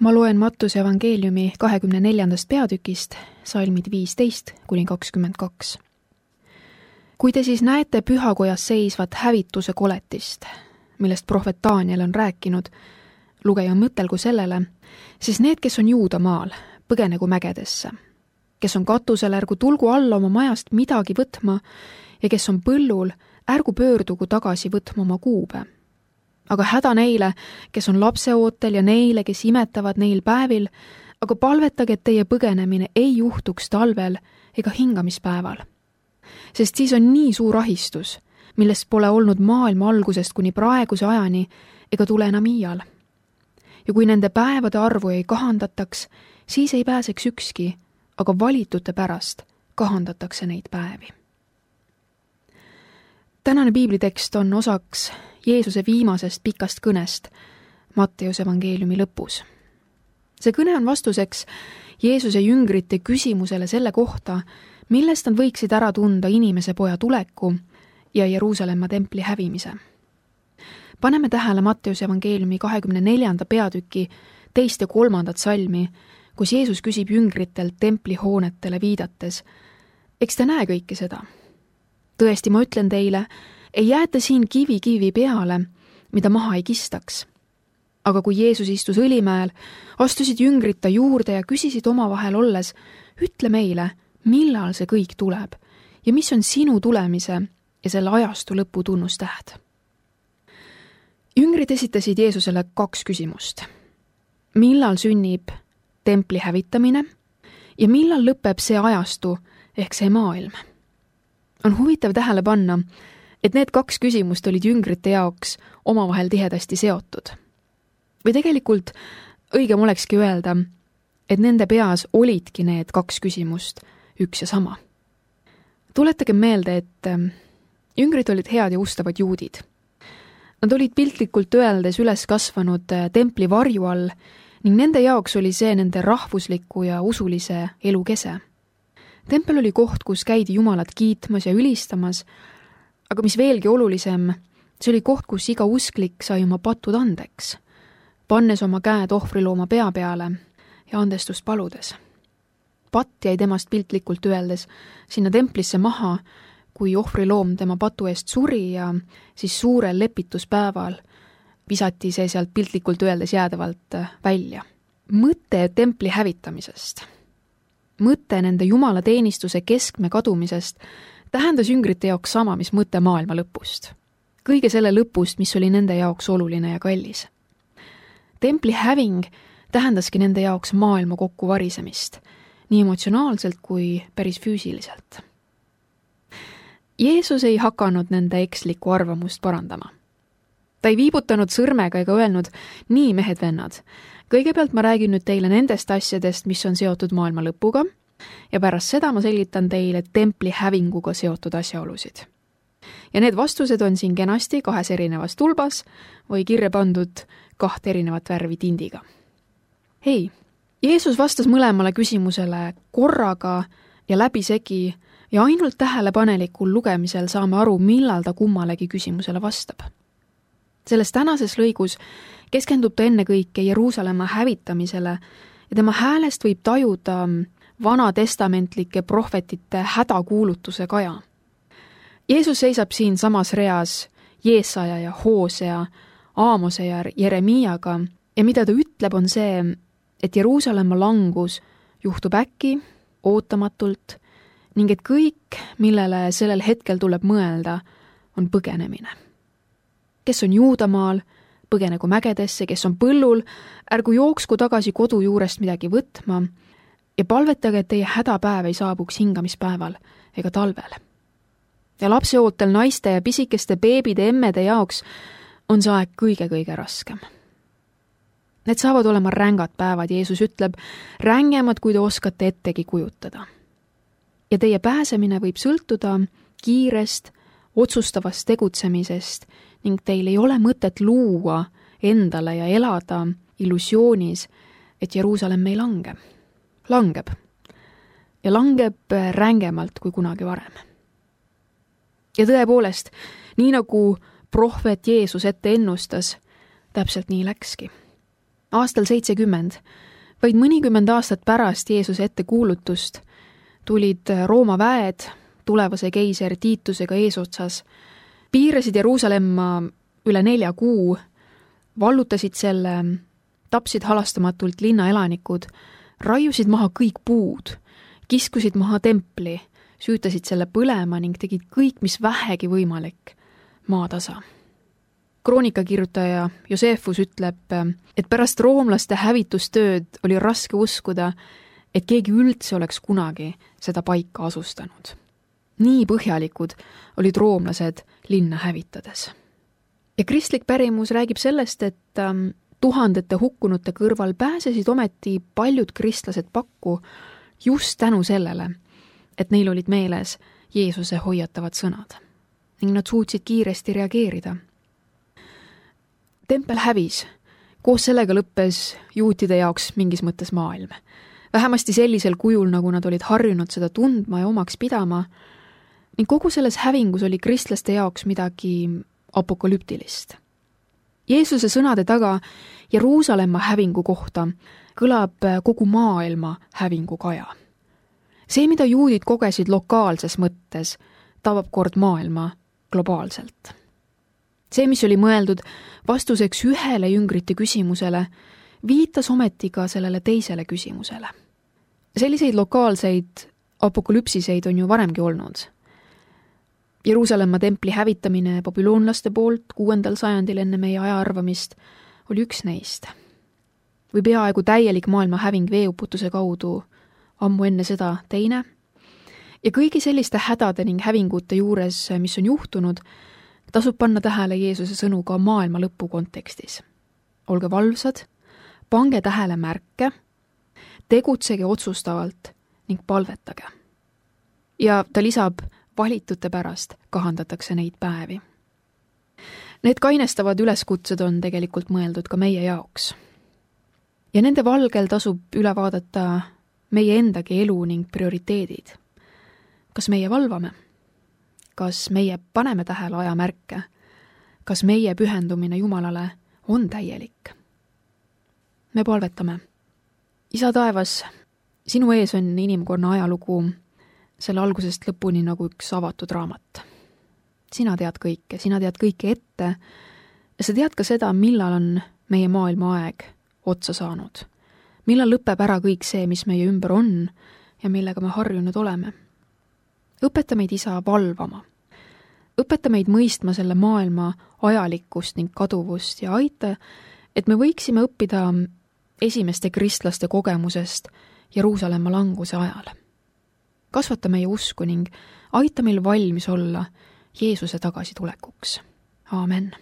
Ma loen Mattuse evangeeliumi 24. peatükist, salmid 15–22. Kui te siis näete pühakojas seisvat hävituse koletist, millest prohvet Daniel on rääkinud, lugeja mõtelgu sellele, siis need, kes on Juudamaal, põgenegu mägedesse. Kes on katusel, ärgu tulgu alla oma majast midagi võtma ja kes on põllul, ärgu pöördugu tagasi võtma oma kuube. Aga häda neile, kes on lapseootel ja neile, kes imetavad neil päevil, aga palvetage, et teie põgenemine ei juhtuks talvel ega hingamispäeval. Sest siis on nii suur ahistus, millest pole olnud maailma algusest kuni praeguse ajani ega tule enam iial. Ja kui nende päevade arvu ei kahandataks, siis ei pääseks ükski, aga valitute pärast kahandatakse neid päevi. Tänane piiblitekst on osaks Jeesuse viimasest pikast kõnest Matteuse evangeeliumi lõpus. See kõne on vastuseks Jeesuse jüngrite küsimusele selle kohta, millest nad võiksid ära tunda inimese poja tuleku ja Jeruusalemma templi hävimise. Paneme tähele Matteuse evangeeliumi 24. peatüki 2. ja 3. salmi, kus Jeesus küsib jüngritelt templihoonetele viidates, eks te näe kõike seda? Tõesti, ma ütlen teile, ei jäeta siin kivi peale, mida maha ei kistaks. Aga kui Jeesus istus Õlimäel, astusid jüngrid ta juurde ja küsisid omavahel olles, ütle meile, millal see kõik tuleb ja mis on sinu tulemise ja selle ajastu lõpu tunnustähed. Jüngrid esitasid Jeesusele 2 küsimust. Millal sünnib templi hävitamine ja millal lõpeb see ajastu ehk see maailm? On huvitav tähele panna, et need 2 küsimust olid jüngrite jaoks omavahel tihedasti seotud. Või tegelikult õigem olekski öelda, et nende peas olidki need 2 küsimust üks ja sama. Tuletagem meelde, et jüngrid olid head ja ustavad juudid. Nad olid piltlikult öeldes üles kasvanud templi varju all ning nende jaoks oli see nende rahvusliku ja usulise elu kese. Tempel oli koht, kus käidi Jumalat kiitmas ja ülistamas, aga mis veelgi olulisem, see oli koht, kus iga usklik sai oma patud andeks, pannes oma käed ohvrilooma pea peale ja andestust paludes. Patt jäi temast piltlikult öeldes sinna templisse maha, kui ohvriloom tema patu eest suri ja siis suurel lepituspäeval visati see sealt piltlikult öeldes jäädavalt välja. Mõte templi hävitamisest, mõte nende jumalateenistuse keskme kadumisest tähendas jüngrite jaoks sama, mis mõte maailma lõpust. Kõige selle lõpust, mis oli nende jaoks oluline ja kallis. Templi häving tähendaski nende jaoks maailma kokkuvarisemist, nii emotsionaalselt kui päris füüsiliselt. Jeesus ei hakanud nende ekslikku arvamust parandama. Ta ei viibutanud sõrmega ega öelnud, nii mehed-vennad, kõigepealt ma räägin nüüd teile nendest asjadest, mis on seotud maailma lõpuga, ja pärast seda ma selgitan teile templi hävinguga seotud asjaolusid. Ja need vastused on siin kenasti 2 erinevas tulbas või kirja pandud 2 erinevat värvi tindiga. Hei, Jeesus vastas mõlemale küsimusele korraga ja läbisegi ja ainult tähelepanelikul lugemisel saame aru, millal ta kummalegi küsimusele vastab. Selles tänases lõigus keskendub ta ennekõike Jeruusalemma hävitamisele ja tema häälest võib tajuda vanatestamentlike prohvetite hädakuulutuse kaja. Jeesus seisab siin samas reas Jeesaja ja Hoosea, Aamose ja Jeremiaga ja mida ta ütleb, on see, et Jeruusalemma langus juhtub äkki, ootamatult ning et kõik, millele sellel hetkel tuleb mõelda, on põgenemine. Kes on Juudamaal, põgenegu mägedesse, kes on põllul, ärgu jooksku tagasi kodu juurest midagi võtma ja palvetage, et teie hädapäev ei saabuks hingamispäeval ega talvel. Ja lapseootel naiste ja pisikeste beebide emmede jaoks on see aeg kõige raskem. Need saavad olema rängad päevad, Jeesus ütleb, rängemad, kui te oskate ettegi kujutada. Ja teie pääsemine võib sõltuda kiirest, otsustavast tegutsemisest ning teil ei ole mõtet luua endale ja elada illusioonis, et Jeruusalemm ei lange. Langeb. Ja langeb rängemalt kui kunagi varem. Ja tõepoolest, nii nagu prohvet Jeesus ette ennustas, täpselt nii läkski. Aastal 70, vaid mõnikümmend aastat pärast Jeesuse ettekuulutust, tulid Rooma väed tulevase keiser Tiitusega eesotsas, piirasid Jeruusalemma üle 4 kuu, vallutasid selle, tapsid halastamatult linnaelanikud, raiusid maha kõik puud, kiskusid maha templi, süütasid selle põlema ning tegid kõik, mis vähegi võimalik, maatasa. Kroonikakirjutaja Josephus ütleb, et pärast roomlaste hävitustööd oli raske uskuda, et keegi üldse oleks kunagi seda paika asustanud. Nii põhjalikud olid roomlased linna hävitades. Ja kristlik pärimus räägib sellest, et tuhandete hukkunute kõrval pääsesid ometi paljud kristlased pakku just tänu sellele, et neil olid meeles Jeesuse hoiatavad sõnad ning nad suutsid kiiresti reageerida. Tempel hävis, koos sellega lõppes juutide jaoks mingis mõttes maailm. Vähemasti sellisel kujul, nagu nad olid harjunud seda tundma ja omaks pidama, ning kogu selles hävingus oli kristlaste jaoks midagi apokalüptilist. Jeesuse sõnade taga Jeruusalemma hävingu kohta kõlab kogu maailma hävingu kaja. See, mida juudid kogesid lokaalses mõttes, tabab kord maailma globaalselt. See, mis oli mõeldud vastuseks ühele jüngrite küsimusele, viitas ometi ka sellele teisele küsimusele. Selliseid lokaalseid apokalüpsiseid on ju varemgi olnud. Jeruusalemma templi hävitamine babüloonlaste poolt 6. sajandil enne meie ajaarvamist oli üks neist. Või peaaegu täielik maailma häving veeuputuse kaudu ammu enne seda teine. Ja kõigi selliste hädade ning hävingute juures, mis on juhtunud, tasub panna tähele Jeesuse sõnu ka maailma lõpu kontekstis. Olge valvsad, pange tähele märke, tegutsege otsustavalt ning palvetage. Ja ta lisab, valitute pärast kahandatakse neid päevi. Need kainestavad üleskutsed on tegelikult mõeldud ka meie jaoks. Ja nende valgel tasub üle vaadata meie endagi elu ning prioriteedid. Kas meie valvame? Kas meie paneme tähele ajamärke? Kas meie pühendumine Jumalale on täielik? Me palvetame. Isa taevas, sinu ees on inimkonna ajalugu selle algusest lõpuni nagu üks avatud raamat. Sina tead kõike ette ja sa tead ka seda, millal on meie maailma aeg otsa saanud. Millal lõpeb ära kõik see, mis meie ümber on ja millega me harjunud oleme. Õpeta meid, Isa, valvama. Õpeta meid mõistma selle maailma ajalikkust ning kaduvust ja aita, et me võiksime õppida esimeste kristlaste kogemusest Jeruusalemma languse ajal. Kasvata meie usku ning aita meil valmis olla Jeesuse tagasitulekuks. Aamen.